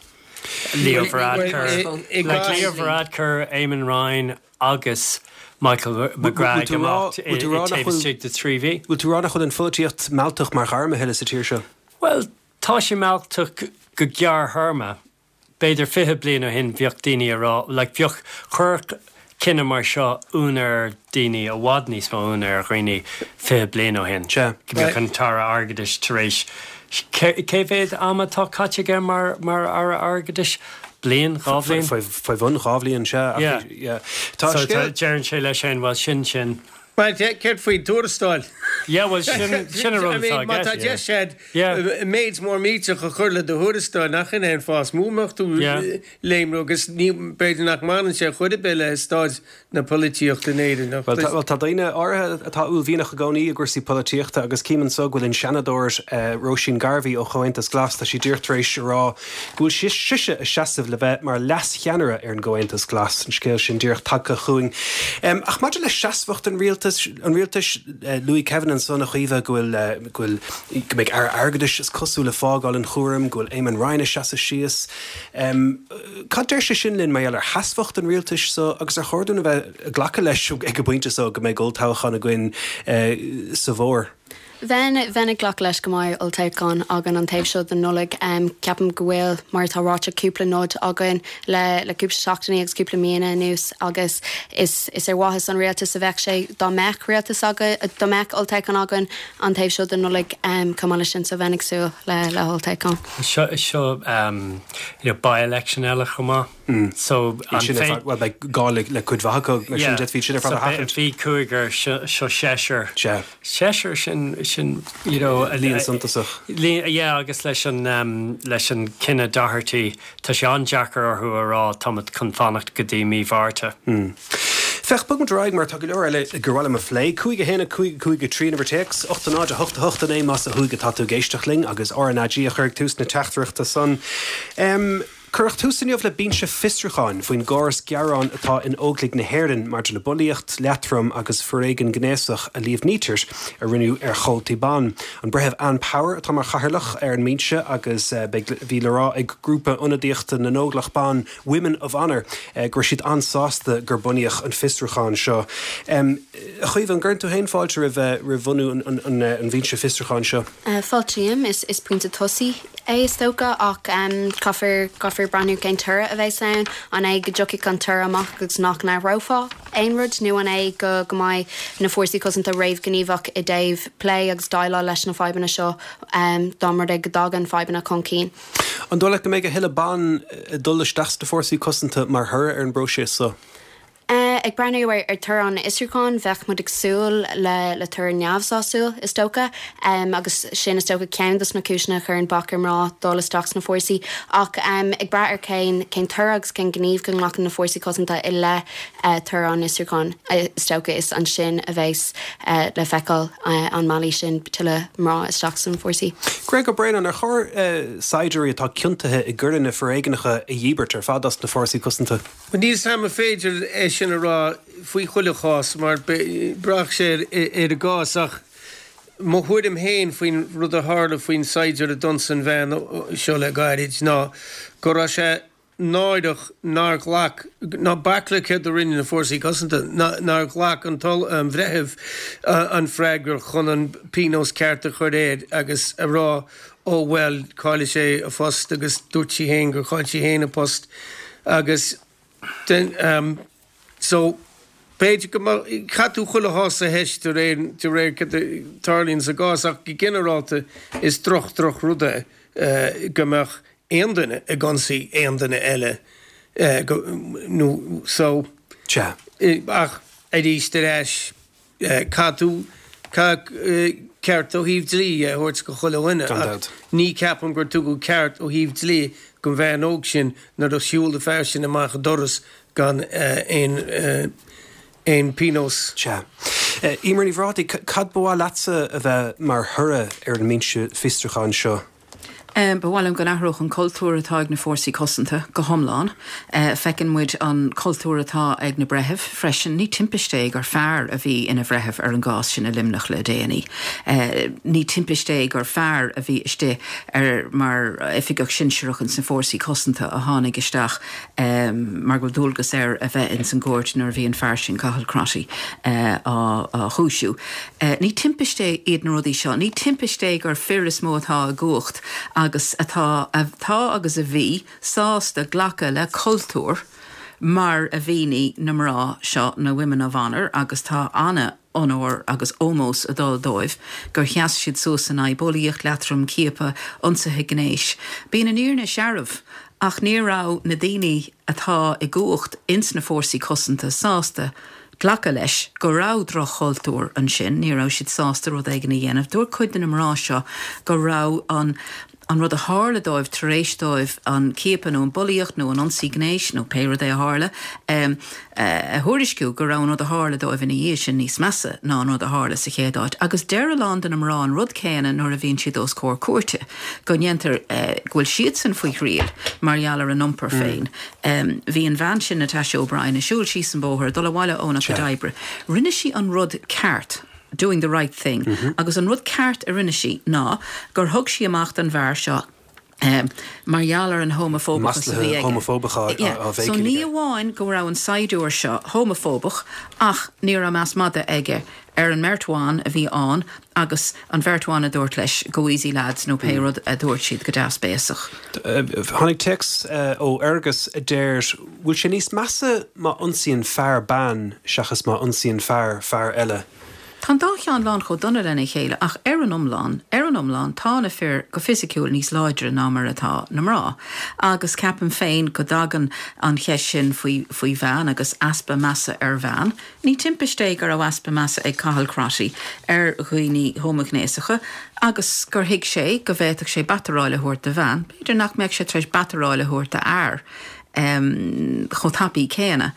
Leo Varadkar, like Leo Varadkar, Eamon Ryan agus Michael McGrath ag imeacht taobh istigh de thrí mhí. Bhfuil tú ag rá nach bhfuil an pholaitíocht mealltach mar ghairm a thuilleadh sa tír seo? Bhuel, tá sé mealltach go gearrthéarma. B'fhéidir 20 bliain ó shin bheadh daoine a rá, like bheadh, chuirfeadh cinneadh mar seo ionadh ar daoine, i bhfad níos mó ionadh ar dhaoine 20 bliain ó shin. Sea. Go mbeadh an tAire Airgeadais tar éis, cé mhéad ama atá caite aige mar, mar Aire Airgeadais? Bliain, 2 bhliain? Faoi bhun 2 bhliain, sea. Yeah. Yeah. Tá So scéal. deireann sé leis féin, bhuel sin sin. Bhuel, céard faoin tuarastal? Yeah, bhuel sin, sin an rud atá i gceist. Má tá deis agat méid mór millteach a chur le do thuarastal, nach in é an fáth is mó a mbeadh tú léimriú agus ní, b'fhéidir nach mbaineann sé chor ar bith le staid na polaitíochta in Éirinn. Ach Bhuel, tá daoine áirithe atá uaillmhianach i gcónaí i gcúrsaí polaitíochta agus cím anso go bhfuil an Seanadóir Róisín Garvey ó Chomhaontas Glas, tá sí díreach tar éis a rá go bhfuil sise ag seasamh le bheith mar leas-cheannaire ar an gComhaontas Glas, an scéal sin díreach tagtha chugainn. Ach maidir le seasmhacht an rialtais, an rialtais, luaigh Kevin ansan, a Chaoimhe, go bhfuil, go bhfuil, go mbeidh Aire Airgeadais, is cosúil, ag fágáil an chúraim, go bhfuil Eamon Ryan ag seasamh síos. Cad deir sé sin linn mar gheall ar sheasmhacht an rialtais so agus ar chóir dúinn a bheith ag glacadh leis ag an bpointe so go mbeidh olltoghchán againn sa bhfómhar? Bheinn, bheinn ag glacadh leis go mbeidh olltoghchán againn an taobh seo den Nollaig. Ceapaim go bhfuil, mar atá ráite, cúpla nod againn le, le cúpla seachtainí agus cúpla míonna anuas agus is, is ar mhaitheas an rialtais a bheadh sé dá mbeadh rialtas againn, dá mbeadh olltoghchán againn an taobh seo den Nollaig chomh maith leis sin. So bheinn ag súil le, le holltoghchán. Seo, seo, you know, by-election eile chomh maith. So an Sin ar fad, bhuel beidh gá le le cuid mhaith acu mar sin d'fhéadfaí sin ar fad a sheachaint. Bhí cúigear, seo seisear. Sea. Seisear sin, sin, you know. Líon suntasach. Líon, yeah agus leis an, leis an cinneadh Doherty, tá sé an-deacair orthu a rá táimid chun fanacht go dtí mí Mhárta. Féach, bogfaidh muid ar aghaidh mar tá go leor eile gur mhaith liom a phlé. 5 1 5 5 3 an uimhir téacs, 8 0 8 8 9 más ó thuaidh atá tú ag éisteacht linn agus RnaG a chur ag tús na teachtaireachta san. Cuireadh tús inniu le binse fiosrúcháin faoin gcóras gearán atá in Óglaigh na hÉireann maidir le bulaíocht, leatrom agus foréigean gnéasach a líomhnaítear a rinneadh ar chomhaltaí ban. An Breitheamh Ann Power atá mar chathaoirleach ar an mbinse agus beidh bhí le rá ag grúpa ionadaíochta na nÓglach Ban, Women of Honour, go raibh siad an-sásta gur bunaíodh an fiosrúchán seo. A Chaoimhe, an gcuireann tú féin fáilte roimh bhunú an bhinse fiosrúcháin seo? Fáiltím. Is pointe tosaigh é is dócha ach caithfear caithfear breathnú cén toradh a bheas ann. An é go dtiocfaidh an toradh amach agus nach n-athrófá aon rud nó an é go go mbeidh na fórsaí cosanta réamhghníomhach i dtaobh plé agus déileáil leis na fadhbanna seo dá mba rud é go dtagann fadhbanna chun cinn. An dóigh leat go mbeidh a thuilleadh ban ag dul isteach sna fórsaí cosanta mar thoradh ar an bpróiseas seo? Ag breathnú ar toradh an fhiosrúcháin, bheadh muid ag súil le toradh neamhsásúil, is dócha, agus sin, is dócha, ceann dos na cúiseanna a chuireann bac ar mná dul isteach sna fórsaí. Ach ag brath ar cén cén toradh agus cén gníomh go nglacann na fórsaí cosanta i leith toradh an fhiosrúcháin, is dócha, is ansin a bheas le feiceáil an meallfaidh sin tuilleadh mná isteach sna fórsaí. Greg Ó Braonáin, ar chóir saighdiúirí atá ciontaithe i gcoireanna foréigneacha a dhíbirt ar fad as na fórsaí cosanta? Níl a fhios a'm an féidir é sin a rá faoi chuile chás mar braithfidh sé ar an gcás ach mo thuairim féin faoin rud a tharla faoin saighdiúir a d'ionsaigh an bhean seo le gairid ná go raibh sé náireach nár ghlac, ná bac le céard a rinne na Fórsaí Cosanta, nár ghlac an bhreitheamh an freagra chun an pionós ceart a chur air agus a rá ó bhuel caillfidh sé a phost agus dúirt sí féin gur chaill sí féin a post agus den so b'fhéidir go mbeadh, caithfidh tú chuile chás a theist de réir de réir cad a tarlaíonn sa gcás ach go ginearálta is droch droch rud é go mbeadh aon duine ag ionsaí aon duine eile go nó so Sea. ach arís ar ais Caithfidh tú, caithfidh ceart ó thaobh dlí a thabhairt go chuile dhuine ach ní ceapaim gur tugadh ceart ó thaobh dlí don bhean óg sin nuair a shiúil an fear sin amach an doras gan aon aon pionós. Sea. Eimear Ní Bhrádaigh, cad ba mhaith leatsa a bheith mar thoradh ar an mbinse fiosrúcháin seo? Ba mhaith liom go n-athródh an cultúr atá ag na fórsaí cosanta go hiomlán. Feiceann muid an cultúr atá ag na breithimh freisin. Ní timpiste é gur fear a bhí ina bhreitheamh ar an gcás sin i Luimneach le déanaí. Ní timpiste é gur fear a bhí istigh ar mar oifigeach sinsearach ins na fórsaí cosanta a tháinig isteach mar go bhfuil dualgas air a bheith ins an gcúirt nuair a bhí an fear sin, Cathal Crotty, á chúisiú. Ní timpiste iad na rudaí seo. Ní timpiste é gur fir is mó atá i gcumhacht agus atá, atá agus a bhí, sásta glacadh le cultúr mar a mhínigh na mná seo, na Women of Honour, agus tá ana onóir agus ómós ag dul dóibh gur sheas siad suas in aghaidh bulaíocht, leatrom, ciapadh, ionsaithe gnéis. Bíonn an fhírinne searbh ach ní raibh na daoine atá i gcumhacht ins na fórsaí cosanta sásta glacadh leis go raibh droch-chultúr ansin, ní raibh siad sásta rud éigin a dhéanamh. Dúirt cuid de na mná seo go raibh an an rud a tharla dóibh tar éis dóibh an ciapadh nó an bulaíocht nó an ionsaí gnéis nó pé rud é a tharla a thuairisciú, go raibh an rud a tharla dóibh ina dhiaidh sin níos measa ná an rud a tharla sa chéad áit. Agus deir a lán de na mná an rud céanna nuair a bhíonn siad os comhair cúirte, go ndéantar, go bhfuil siadsan faoi thriail mar gheall ar a n-iompar féin. Bhí an bhean sin, Natasha O'Brien, ag siúl síos an bóthar, ag dul abhaile óna cuid oibre. Rinne sí an rud ceart, doing the right thing, agus an rud ceart a rinne sí ná gur thug sí amach don bhfear seo mar gheall ar an homafóbachas a bhí aige. So ní amháin go raibh an saighdiúir seo homafóbach ach ní raibh meas madaidh aige ar an mbeirt bhan a bhí ann agus an bheirt bhan a dúirt leis go easy lads nó pé rud a dúirt siad go deas béasach. Tháinig téacs ó Fhergus a deir, bhfuil sé níos measa má ionsaíonn fear bean seachas má ionsaíonn fear fear eile? Tá an dá cheann lán chomh dona lena chéile ach ar an iomlán, ar an iomlán, tá na fir go fisiciúil níos láidre ná mar atá na mná. Agus ceapaim féin go dtagann an cheist sin faoi faoi bhean agus easpa measa ar bhean. Ní timpiste é go raibh easpa measa ag Cathal Crotty ar dhaoine homaighnéasacha agus gur thuig sé go bhféadfadh sé bataráil a thabhairt do bhean, b'fhéidir nach mbeadh sé tar éis bataráil a thabhairt do fhear chomh tapaidh céanna.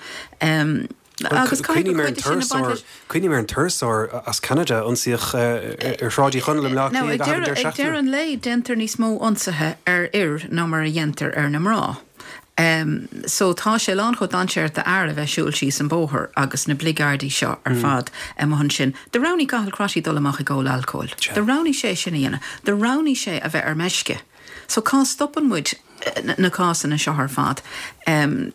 Agus caithfidh gur cuid de sin a baint leis. Cuimhním ar an turasóir as Ceanada a ionsaíodh ar Shráid Uí Chonaill i mBleá Cliath i gcaitheamh an deireadh seachtaine. Ag deireadh an lae, déantar níos mó ionsaithe ar fhir ná mar a dhéantar ar na mná. So tá sé lán chomh dainséarach d'fhear a bheith siúl síos an bóthar agus na bligeardaí seo ar fad amuigh ansin. Do roghnaigh Cathal Crotty dul amach ag ól alcóil. Do roghnaigh sé sin a dhéanamh. Do roghnaigh sé a bheith ar meisce. So cá stopann muid na cásanna seo ar fad?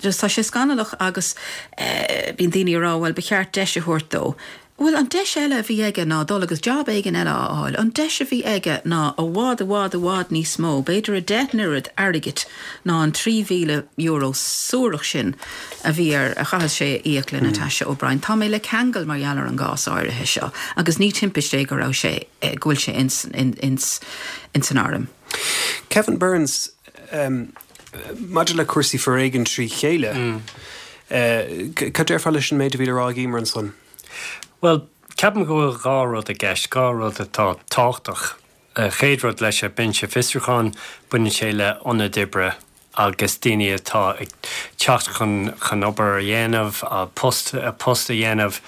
Just tá sé scannalach agus bíonn daoine ag rá bhuel ba cheart deis a thabhairt dó. Bhuel, an deis eile a bhí aige ná dul agus jab éigin eile a fháil. An deis a bhí aige ná i bhfad, i bhfad, i bhfad níos mó, b'fhéidir a 10 n-oiread airgid ná an €3,000 suarach sin a bhí air, a chaithfeas sé a íoc le Natasha O'Brien. Tá mé le ceangal mar gheall ar an gcás áirithe seo agus ní timpiste é go raibh sé, go bhfuil sé ins, ins, ins an arm. Kevin Burns, Maidir le cúrsaí foréigin trí chéile, cad déarfá leis an méid a bhí le rá ag Emer ansan? Bhuel, ceapaim go bhfuil dhá rud i gceist, dhá rud atá tábhachtach. An chéad rud leis an Binse Fiosrúcháin, baineann sé le ionaid oibre agus daoine atá ag teacht chun chun obair a dhéanamh, post post a dhéanamh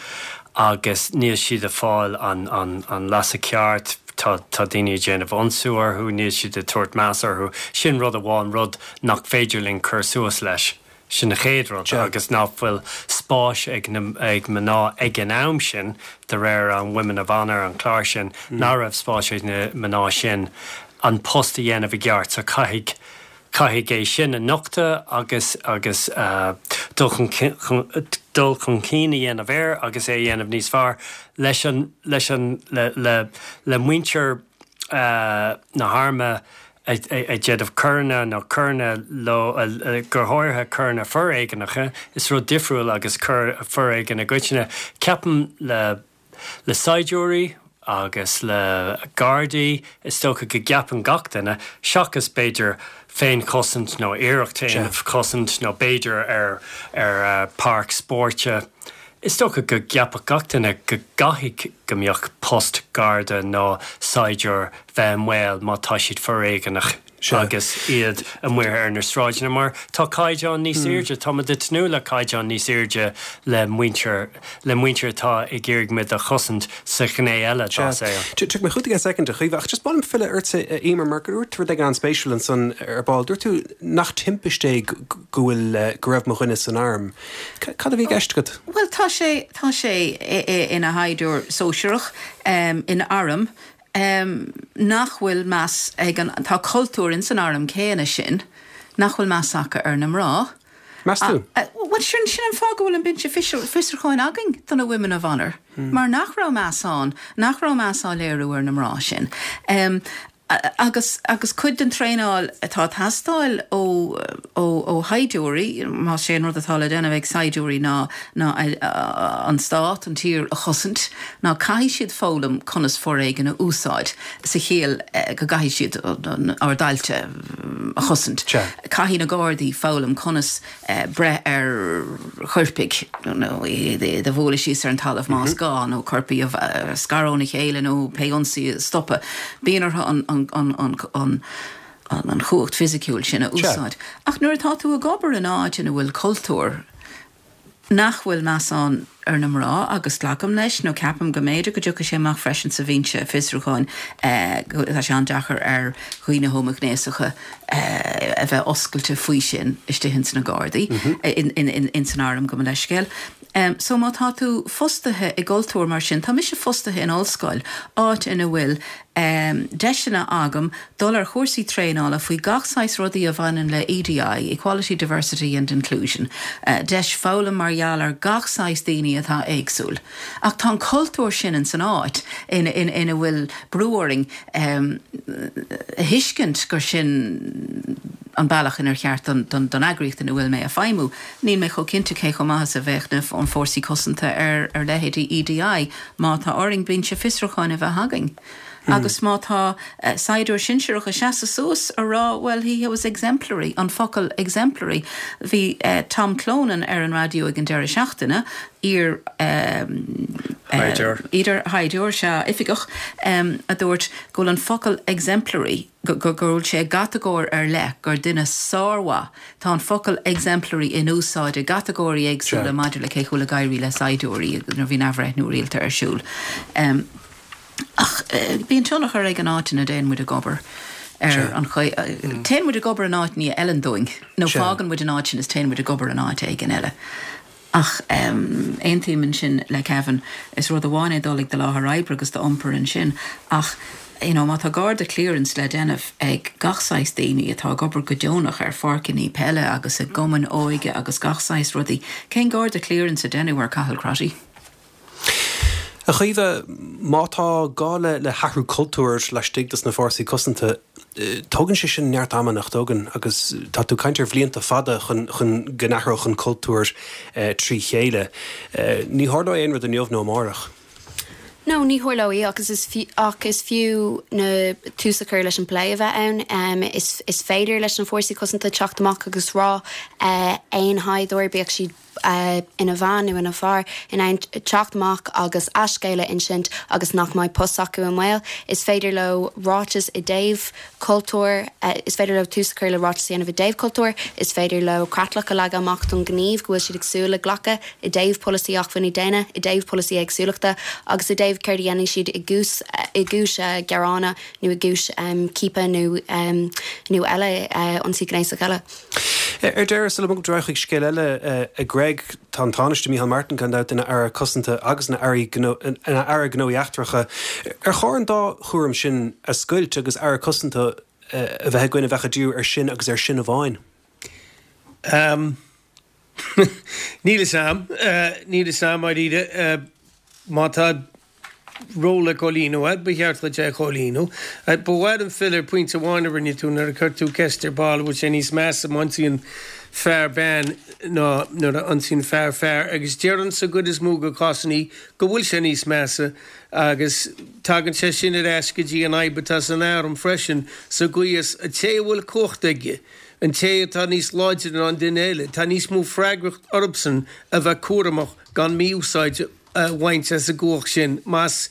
agus níl siad ag fáil an an an leasa ceart, tá tá daoine ag déanamh ionsú orthu, níl siad ag tabhairt meas orthu. Sin rud amháin, rud nach féidir linn cur suas leis. Sin an chéad rud agus nach bhfuil spáis ag na ag mná ag an am sin, de réir an Women of Honour, an clár sin, nach raibh spáis ag na mná sin an post a dhéanamh i gceart. So caithfidh caithfidh é sin a nochtadh agus agus dul chun dul chun cinn a dhéanamh air agus é a dhéanamh níos fearr leis an leis an le le le muintir na hairme ag déanamh coireanna nó coireanna leo, go háirithe coireanna foréigneacha, is rud difriúil agus foréigean i gcoitinne. Ceapaim le le saighdiúirí agus le gardaí, is dócha go gceapann gach duine, seachas b'fhéidir féinchosaint nó iarracht féinchosaint nó b'fhéidir ar ar páirc spóirt, Is dócha go gceapfadh gach duine go gcaithfidh go mbeadh post garda nó saighdiúir bheith i mbaol má tá siad foréigeanach. Agus iad amuigh ar na sráideanna mar tá caighdeán níos airde, tá muid ag tnúth le caighdeán níos airde le muintir, le muintir atá ag iarraidh muid a chosaint sa ghné eile dá saol. Tiocfaidh mé chugat i gceann soicind, a Chaoimhe, ach just ba mhaith liom filleadh ortsa, a Emer, mar gur dúirt tú rud éigin an-spéisiúil ansan ar ball. Dúirt tú nach timpiste é go bhfuil, go raibh mo dhuine san arm. Cad a bhí i gceist agat? Bhuel, tá sé, tá sé ina shaighdiúir sóisearach in arm nach bhfuil meas ag an, tá cultúr ins an arm céanna sin nach bhfuil meas acu ar na mná. Meas tú? Bhuel, sin, sin an fáth go bhfuil an binse fiosrúcháin againn do na Women of Honour, mar nach raibh meas ann, nach raibh meas á léiriú ar na mná sin. Agus, agus cuid den traenáil atá ag teastáil ó, ó, ó shaighdiúirí, más é an rud atá le déanamh ag saighdiúirí ná, ná an stát, an tír a chosaint, ná caithfidh siad foghlaim conas foréigean a úsáid, sa chiall go gcaithfidh siad ár dtailte a chosaint. Caithfidh na Gardaí foghlaim conas breith ar choirpigh nó iad a bhualadh síos ar an talamh más gá, nó coirpigh a scaradh óna chéile nó pé ionsaí a stopadh. Bíonn orthu an chumhacht fisiciúil sin a úsáid. Ach nuair atá tú ag obair in áit ina bhfuil cultúr nach bhfuil meas ann ar na mná, agus glacaim leis, nó ceapaim go mb'fhéidir go dtiocfaidh sé amach freisin sa bhinse fiosrúcháin, go, tá sé an-deacair ar dhaoine homaighnéasacha a bheith oscailte faoi sin istigh ins na Gardaí, ins an arm, gabh mo leithscéal. So má tá tú fostaithe i gcultúr mar sin, tá mise fostaithe in ollscoil, áit ina bhfuil deiseanna agam dul ar chúrsaí traenála faoi gach saghas rudaí a bhaineann le EDI, Equality, Diversity and Inclusion, deis foghlaim mar gheall ar gach saghas daoine atá éagsúil. Ach tá an cultúr sin ins an áit ina bhfuil brú orainn a thuiscint gur sin an bealach inar cheart don eagraíocht ina bhfuil mé a feidhmiú. Níl mé chomh cinnte cé chomh maith is a bheadh na fórsaí cosanta ar leithéidí EDI má tá orainn binse fiosrúcháin a bheith againn. Agus má tá saighdiúir sinsearach ag seasamh suas a rá well he was exemplary, an focal exemplary. Bhí Tom Clonan ar an raidió ag an deireadh seachtaine, iar iar-shaighdiúir, sea, oifigeach, a dúirt go bhfuil an focal exemplary, go bhfuil sé i gcatagóir ar leith, gur duine sármhaith, tá an focal exemplary in úsáid i gcatagóirí éagsúla maidir le cé chomh ag éirí le saighdiúirí nuair a bhíonn athbhreithniú rialta ar siúl. Ach bíonn tionchar ag an áit ina dtéann muid ag obair ar an chaoi, téann muid ag obair in áit ní a fheileann dúinn, nó fágann muid an áit sin is téann muid ag obair in áit éigin eile. Ach aontaím ansin le Kevin, is rud amháin é dul ag do láthair oibre agus d'iompar ansin, ach you know má tá Garda clearance le déanamh ag gach saghas daoine atá ag obair go deonach ar pháirceanna peile agus i gcumainn óige agus gach saghas rudaí, cén Garda clearance a deineadh ar Cathal Crotty? A Chaoimhe, má tá gá le hathrú cultúir laistigh dos na fórsaí cosanta, tógann sé sin neart ama, nach dtógann? Agus tá tú ag caint ar bhlianta fada chun go n-athródh an cultúr trí chéile. Ní tharlóidh aon rud inniu nó amárach. No, ní tharlóidh agus is ach is fiú na tús a chur leis an bplé a bheith ann. Is is féidir leis na fórsaí cosanta teacht amach agus rá aon shaighdiúir, bíodh siad ina bhean nó ina fear, in ann teacht amach agus a scéal a insint agus nach mbeidh post s'acu i mbaol. Is féidir leo ráiteas i dtaobh cultúir, is féidir leo tús a chur le ráiteas a dhéanamh i dtaobh cultúir, is féidir leo creatlach a leagadh amach don ghníomh go bhfuil siad ag súil le glacadh i dtaobh polasaí acmhainní daonna, i dtaobh polasaí éagsúlachta agus i dtaobh céard a dhéanfaidh siad i gcúis i gcúis gearáin nó i gcúis ciapadh nó nó eile, ionsaí gnéasach eile. Ar deireadh, sula mbogaimid ar aghaidh chuig scéal eile, a Greg, tá an Tánaiste Micheál Martin gan dabht ina Aire Cosanta agus ina Aire Gnóthaí Eachtracha. Ar chóir an dá chúram sin a scoilt agus Aire Cosanta a bheith againn a bheadh ag díriú air sin agus air sin amháin? Níl fhios a'm. Níl fhios a'm, dáiríre. Má tá ról le comhlíonadh a'd, ba cheart dhuit é a chomhlíonadh. Ba mhaith liom filleadh ar phointe amháin a rinne tú nuair a chuir tú ceist ar ball, an bhfuil sé níos measa má ionsaíonn fear bean ná nuair a ionsaíonn fear fear, agus déarfainn sa gcuid is mó de cásannaí go bhfuil sé níos measa agus tagann sé sin ar ais go dtí an fhadhb atá san arm freisin, sa gcaoi is an té a bhfuil cumhacht aige, An té atá níos láidre ná an duine eile, tá níos mó freagracht orthusan a bheith cúramach gan mí-úsáid a bhaint as an gcumhacht sin. Más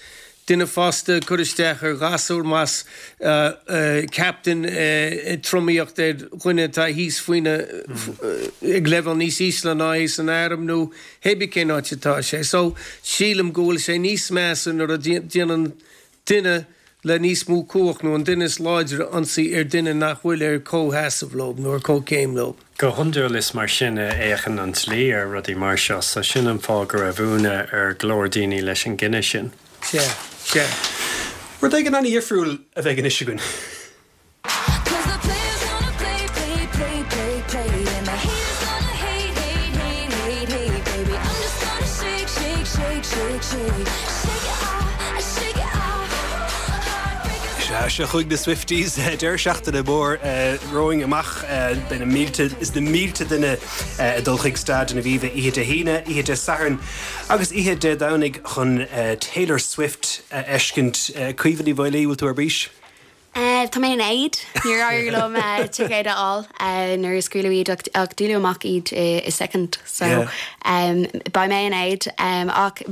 duine fásta ag cur isteach ar ghasúr, más captain ag tromaíocht ar dhuine atá thíos faoina, ag leibhéal níos ísle ná é san arm nó hébí cén áit atá sé. So, sílim go bhfuil sé níos measa nuair a déanann duine le níos mó cumhacht nó an duine is láidre ionsaí ar duine nach bhfuil ar comhsheasamh leo nó ar comhchéim leo. Go hiondúil is mar sin a fhéachann an dlí ar rudaí mar seo, so sin an fáth go raibh ionadh ar go leor daoine leis an gcinneadh sin. Sea, sea. Rud éigin an-dhifriúil a bheidh anois againn. Sea, seo chugainn na Swifties, deireadh seachtaine mór romhainn amach. Beidh na mílte is na mílte duine ag dul chuig Staid an Aviva oíche Dé hAoine, oíche Dé Sathairn agus oíche Dé Domhnaigh chun Taylor Swift a fheiscint. Caoimhe Ní Mhaolaí, bhfuil tú ar bís? Tá mé in éad. Níor éirigh liom ticéad a fháil nuair a scaoileadh iad ach díoladh amach iad i soicind so beidh mé in éad ach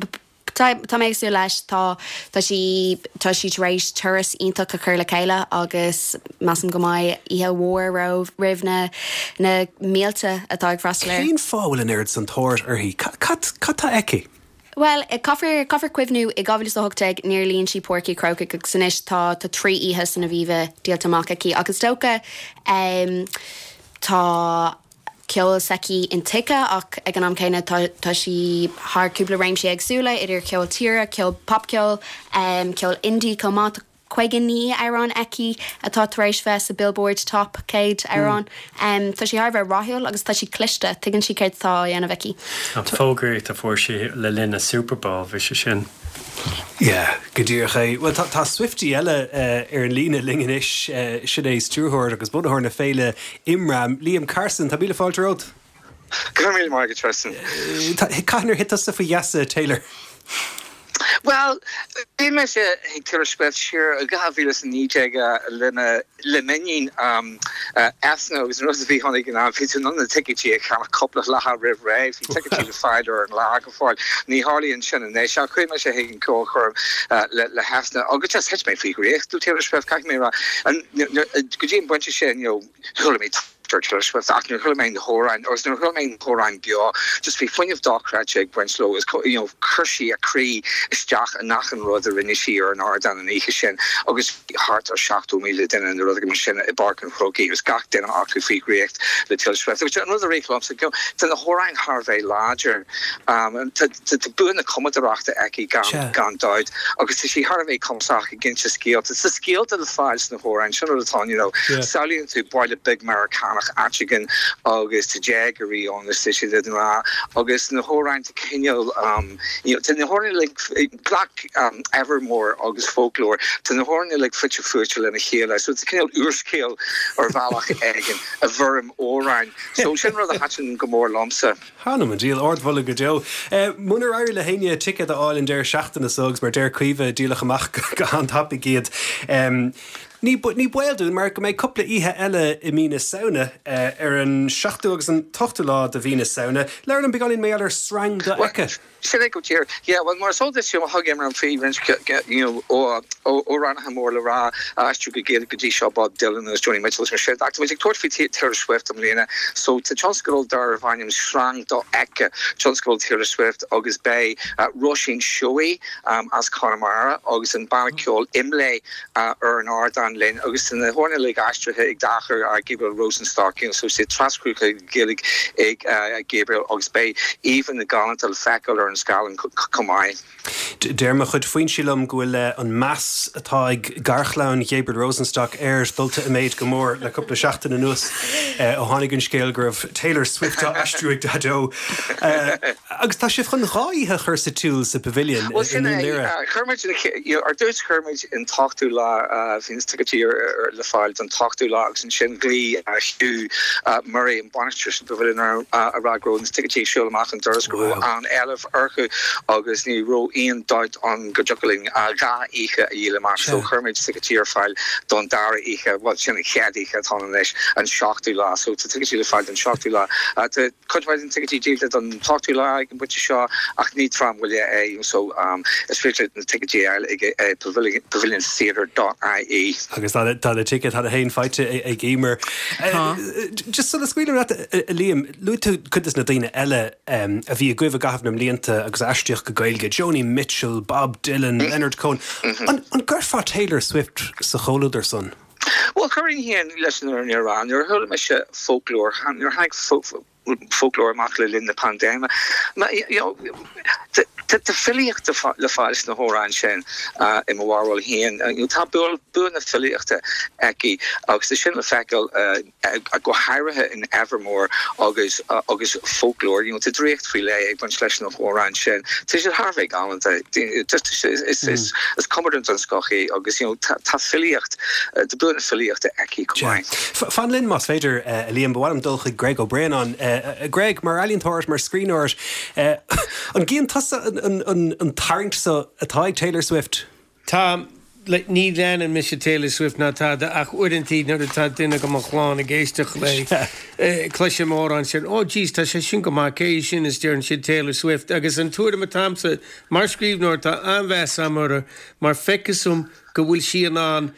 tá mé ag súil leis. Tá tá sí tá sí tar éis turas iontach a chur le chéile agus measaim go mbeidh oíche mhór roimh na na mílte atá ag freastal air. Cén fáth a bhfuil an oiread san tóir uirthi? Cad cad tá aici? Bhuel, caithfear, caithfear cuimhniú, i 2018 níor líon sí Páirc an Chrócaigh agus anois tá, tá 3 oíche san Aviva díolta amach aici ach is dócha ehm tá ceol s'aici intuigthe ach ag an am céanna tá, tá sí thar cúpla réimsí éagsúla idir cheol tíre, ceol popcheol, ehm ceol indie chomh maith. Tá 59 amhrán aici atá tar éis bheith sa Billboard Top 100 amhrán. Tá sí thar a bheith rathúil agus tá sí cliste, tuigeann sí céard atá á dhéanamh aici. An fógraíocht a fuair sí le linn an Super Bowl, bhí sé sin. Yeah, go díreach é. Bhuel, tá, tá Swiftie eile ar an líne linn anois, sin é stiúrthóir agus bunaitheoir na féile Imram, Liam Carson. Tá míle fáilte romhat. Go raibh míle maith agat, Tristan. Cathain ar thit tusa faoi gheasa Taylor? Bhuel, bhí mise ag Taylor Swift siar i 2019 le m'iníon Eithne agus an rud a bhí ann ag an am, bhí tú in ann na ticéidí a cheannach cúpla lá roimh ré, bhí ticéidí le fáil ar an lá go fóill. Ní tharlaíonn sin anois ach chuaigh mise chuig an ceolchoirm le hEithne agus just thit mé faoi dhraíocht le Taylor Swift, caithfidh mé a rá. Go dtí an pointe sin, you know, chuala mé ar Taylor Swift ach nuair a chuala mé na hamhráin agus nuair a chuala mé na hamhráin beo just bhí fuinneamh dochreidte ag baint leo is you know chuir sí a croí isteach in achan rud a rinne sí ar an ardán an oíche sin agus bhí thart ar 70,000 duine nó rud éigin mar sin i bPáirc an Chrócaigh agus gach duine acu faoi dhraíocht le Taylor Swift agus an rud a rith liomsa you know tá na hamhráin thar a bheith láidir um, tá tá bua na cumadóireachta aici gan gan dabht agus tá sí thar a bheith cumasach ag inse scéalta. Tá scéalta le fáil sna hamhráin, sin rud atá ann, you know. Samhlaíonn tú baile beag Meiriceánach áit éigin agus tá déagóirí ann is tá siad i ngrá agus na hamhráin tá cineál um, you know, tá na hamhráin uilig, glac um, Evermore agus Folklore, tá na hamhráin uilig fite fuaite lena chéile, so tá cineál úrscéal ar bhealach éigin i bhfoirm amhráin. So sin rud a thaitin go mór liomsa. Th'anam 'on diabhal, ardmholadh go deo. Munar éirigh le héinne ticéad a fháil an deireadh seachtaine so, agus mar a deir Caoimhe, díoladh amach go han-tapaidh iad, ní baol dúinn mar go mbeidh cúpla oíche eile i mí na Samhna, ar an seachtú agus an t-ochtú lá de mhí na Samhna. Labhair liom beagáinín mar gheall ar Sreang Dofheicthe. Sin é go díreach. Yeah, bhuel, mar is eol duit, you know, thug Imram faoi roinnt, you know, amhránaithe mór le rá a aistriú go Gaeilge go dtí seo, Bob Dylan agus Joni Mitchell agus mar sin. Ach tá muid ag tabhairt faoi Taylor Swift i mbliana, so tá tionscadal darbh ainm Sreang Dofheicthe, tionscadal Taylor Swift, agus beidh Róisín Seoighe as Conamara agus an banna ceoil IMLÉ ar an ardán linn agus tá na hamhráin uilig aistrithe ag deartháir Gabriel Rosenstock, you know, so tá siad trascríofa go Gaeilge ag Gabriel agus beidh íomhánna galánta le feiceáil ar an scáileán chomh maith. Deir mo chuid foinsí liom go bhfuil an meas atá ag garchlann Ghabriel Rosenstock air dulta i méid go mór le cúpla seachtain anuas ó tháinig an scéal go raibh Taylor Swift á aistriú ag Daideo. Agus tá sibh chun dhá oíche a chur sa tsiúl sa Pavilion i Bhuel, sin nDún é. Laoghaire. Chuir muid, ar dtús chuir muid an t-ochtú lá, bhí na. ticéidí le fáil don t-ochtú lá agus ansin ghlaoigh Hugh Murray, an bainisteoir sa Pavilion orm a rá go raibh na ticéidí ag siúl amach an doras, go raibh an-éileamh orthu agus ní raibh aon dabht ann go dtiocfadh linn 2 oíche a dhíol amach so chuir muid ticéidí ar fáil don dara oíche, bhuel sin an chéad oíche atá ann anois, an seachtú lá so tá ticéidí le fáil don seachtú lá. Tá cuid mhaith de na ticéidí díolta don t-ochtú lá ag an bpointe seo ach ní tráth moille é so is féidir na ticéidí a fháil ag paviliontheatre dot ie. Agus tá na ticéid cheana féin faighte ag Emer. Tá. Just sula scaoilim leat, a Liam, luaigh tú cuid de na daoine eile a bhí agaibh i gcaitheamh na mblianta agus a aistríodh go Gaeilge, Joni Mitchell, Bob Dylan, Leonard Cohen. An gcuirfeá Taylor Swift sa chomhluadar san? Bhuel, chuirfinn féin, leis an fhírinne a rá, nuair a chuala mise Folklore, nuair a tháinig Folklore amach le linn na paindéime, tá filíocht le fáil sna hamhráin sin, i mo bharúil féin. Tá bua na filíochta aici agus tá sin le feiceáil go háirithe in Evermore agus agus Folklore. You know, tá draíocht faoi leith ag baint leis na hamhráin sin. Tá siad thar a bheith galánta. Is is cumadóir den scoth í agus you know, tá tá filíocht, tá bua na filíochta aici chomh maith. Fan linn más féidir, a Liam, ba mhaith liom dul chuig Greg Ó Braonáin. Greg, mar ealaíontóir, mar scríbhneoir, an gcíonn tusa an tarraingt so atá ag Taylor Swift? Tá, like, ní leanann mise Taylor Swift ná tada ach uaireantaí nuair atá duine de mo chlann ag éisteacht léi, cloisim amhrán sin, oh jeez, tá sé sin go maith, cé hí sin is deireann siad Taylor Swift agus an tuairim atá a'msa, mar scríbhneoir tá an-mheas a'm uirthi mar feictear dom go bhfuil sí in ann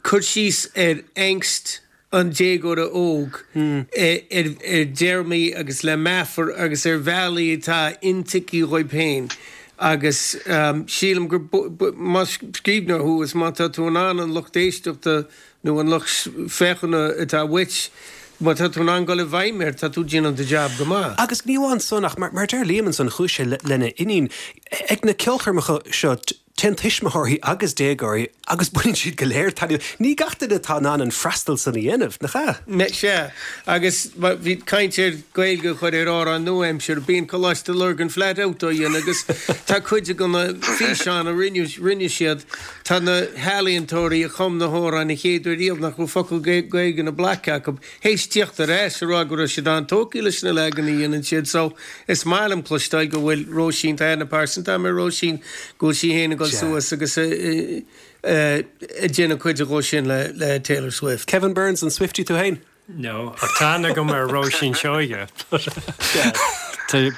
cur síos ar angst an déagóra óg ar dtéarmaí agus le meafar agus ar bhealaí atá intuigthe dhóibh féin agus sílim gur más scríbhneoir thú is má tá tú in ann an lucht éisteachta nó an lucht féachana atá uait, má tá tú in ann dul i bhfeidhm air, tá tú ag déanamh do jab go maith. Agus ní amháin san ach mar a deir Liam ansan chuaigh sé lena iníon ag na ceolchoirmeacha seo. Téann tuismitheoirí agus déagóirí agus baineann siad go léir taitneamh. Ní gach duine atá in ann an freastal san a dhéanamh, nach ea? Sea, agus bhí caint ar Gaeilge a chur ar amhráin nua-aimseartha. Bíonn Coláiste Lurgan flat out á dhéanamh agus tá cuid de na físeáin a rinne siad, tá na healaíontóirí a chum na hamhráin an chéad uair riamh nach raibh focal Gaeilge ina bplaic acu, théis tíocht ar ais a rá go raibh siad an-tógtha leis na leagan a dhéanann siad so is maith liom cloisteáil go bhfuil Róisín, tá aithne pearsanta agam ar Róisín, go bhfuil sí féin ag dul suas agus ag déanamh cuid dhó sin le Taylor Swift. Kevin Burns, an Swiftie tú féin? No, ach tá aithne agam ar Róisín Seoige.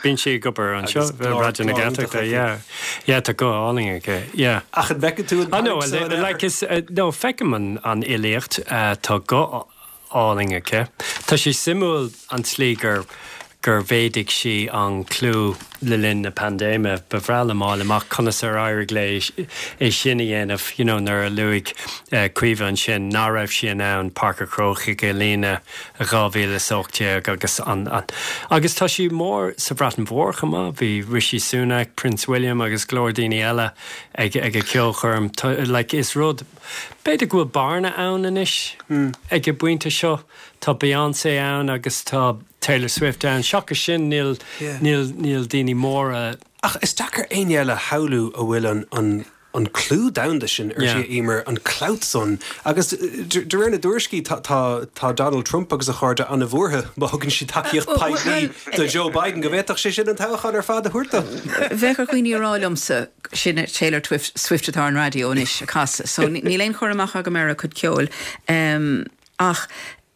Bíonn sí ag obair anseo, Raidió na Gaeltachta, yeah. Yeah, tá guth álainn aici, yeah. Ach an bhfeiceann tú an Ah no, like is, no, feicim an fhilíocht, tá guth álainn aici. Tá sé suimiúil an tslí gur gur mhéadaigh sí an clú le linn na paindéime. Ba bhreá liom fháil amach conas ar éirigh léi é sin a dhéanamh, you know, nuair a luaigh Caoimhe ansin ná raibh sí in ann Páirc an Chrócaigh a líonadh i 2018 agus an agus tá sí mór sa Bhreatain Mhór chomh maith. Bhí Rishi Sunak, Prince William agus go leor daoine eile ag ag a ceolchoirm. Like is rud B'fhéidir go bhfuil bearna ann anois ag an bpointe seo. Tá Beyoncé ann agus tá Taylor Swift ann. Seachas sin níl, níl, níl daoine móra. Ach is deacair éinne eile a shamhlú a bhfuil an, an, an clú domhanda sin uirthi, a Emer, an clout san. Agus de réir na dtuairiscí tá, tá, tá Donald Trump agus a chairde an-bhuartha má thugann sí tacaíocht poiblí do Joe Biden go bhféadfadh sé sin an toghchán ar fad a thabhairt dó. Bheadh ar dhaoine a rá liomsa Sin Taylor Swift atá ar an raidió anois ag casadh so níl aon chur amach agam ar a cuid ceoil ach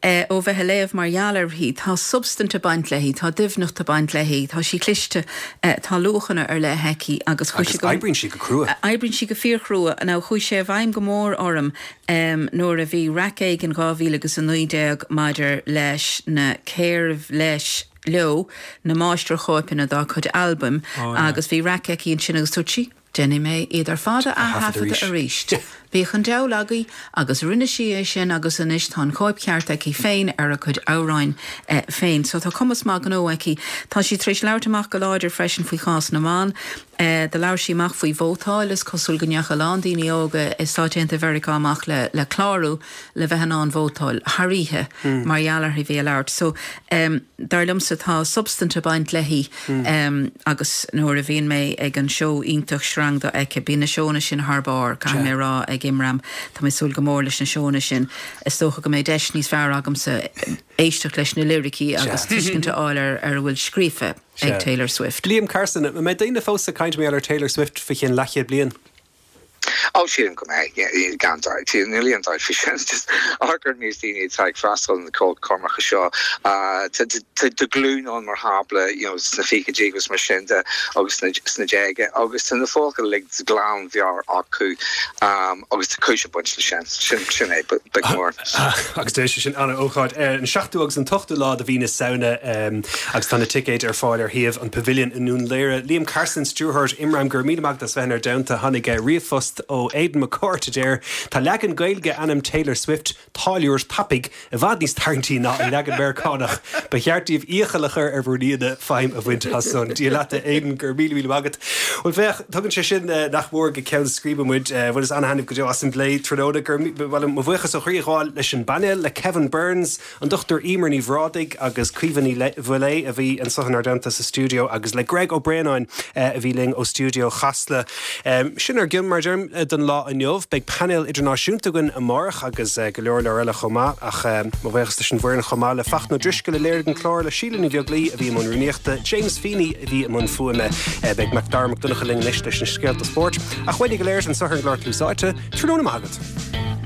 ó bheith ag léamh mar gheall uirthi, tá substaint ag baint léi, tá doimhneacht ag baint léi, tá sí cliste, tá luachanna ar leith aici agus chuaigh sé go. Agus oibríonn sí go crua. Oibríonn sí go fíorchrua. Now chuaigh sé i bhfeidhm go mór orm nuair a bhí raic éigin 2019 maidir leis na cérbh leis, leo na máistirchóipeanna dá cuid albaim agus bhí raic aici ansin agus dúirt sí, Déanfaidh mé iad ar fad a ath-thaifeadadh arís. Bíodh an diabhal agaibh agus rinne sí é sin agus anois tá an chóip cheart aici féin ar a cuid amhráin féin. So tá cumas maith gnó aici. Tá sí tar éis labhairt amach go láidir freisin faoi chás na mban. Do labhair sí amach faoi vótáil. Is cosúil go ndeachaigh a lán daoine óga i Stáit Aontaithe Mheiriceá amach le le clárú le bheith in ann vótáil thar oíche mar gheall uirthi bheith ag labhairt. So, dar liomsa tá substaint ag baint léi agus nuair a bhíonn mé ag an seó iontach Sreang atá aici, bíonn na seónna sin thar barr, caithfidh mé a rá, ag Imram. Tá mé ag súil go mór leis na seónna sin. Is dócha go mbeidh deis níos fearr agamsa éisteacht leis na liricí agus tuiscint a fháil ar ar a bhfuil scríofa. ag Taylor Swift. Liam Carson, An mbeidh daoine fós ag caint mar gheall ar Taylor Swift faoi cheann leathchéad bliain? Ó, sílim go mbeidh, gan dabht. Níl aon dabht faoi sin. Just amharc ar an méid daoine atá ag freastal ar na ceolchoirmeacha seo. Tá glúin ann, mar shampla, you know, sna fichidí agus mar sin de agus sna déaga agus tá na focail uilig de ghlanmheabhair acu agus tá cúis ag baint leis sin. Sin, sin é, beag mór. Agus beidh sé sin an-ócáid ar an seachtú agus an t-ochtú lá de mhí na Samhna agus tá na ticéid ar fáil ar shuíomh an Pavilion i nDún Laoghaire. Liam Carson, Stiúrthóir Imram, go raibh míle maith agat as bheith inár dteannta. Tháinig ríomhphost ó Aidan McCourt a deir, Tá leagan Gaeilge ainm Taylor Swift, Táilliúir Tapaidh, i bhfad níos tarraingtí ná an leagan Meiriceánach. Ba cheart daoibh iachall a chur ar bhur n-aíonna feidhm a bhaint as san. Dia leat a Aidan, go raibh míle míle maith agat. Bhuel féach, tugann sé sin nach mór go ceann scríbe muid. Bhaineas ana-thaitneamh go deo as an bplé tráthnóna. Go raibh, bhuel, mo bhuíochas ó chroí a ghabháil leis an bpainéal, le Kevin Burns, an Dr Emer Ní Bhrádaigh agus Caoimhe Ní Mhaolaodha a bhí anseo inár dteannta sa stiúideo agus le Greg Ó Braonáin a bhí linn ó stiúideo Chasla. Sin ár gcion, mar a deirim, don lá inniu. Beidh painéal idirnáisiúnta againn amárach agus go leor leor eile chomh maith. Ach mo bhuíochas leis an bhfoireann chomh maith, le Fachtna Ó Drisceoil a léirigh an clár, le Síle Ní Bheaglaoi a bhí i mbun rúnaíochta, James Feeney a bhí i mbun fuaime. Beidh Macdara Mac Donncha linn anois leis na scéalta spóirt. Ach uainne go léir anseo ar an gclár Tús Áite, tráthnóna maith agat.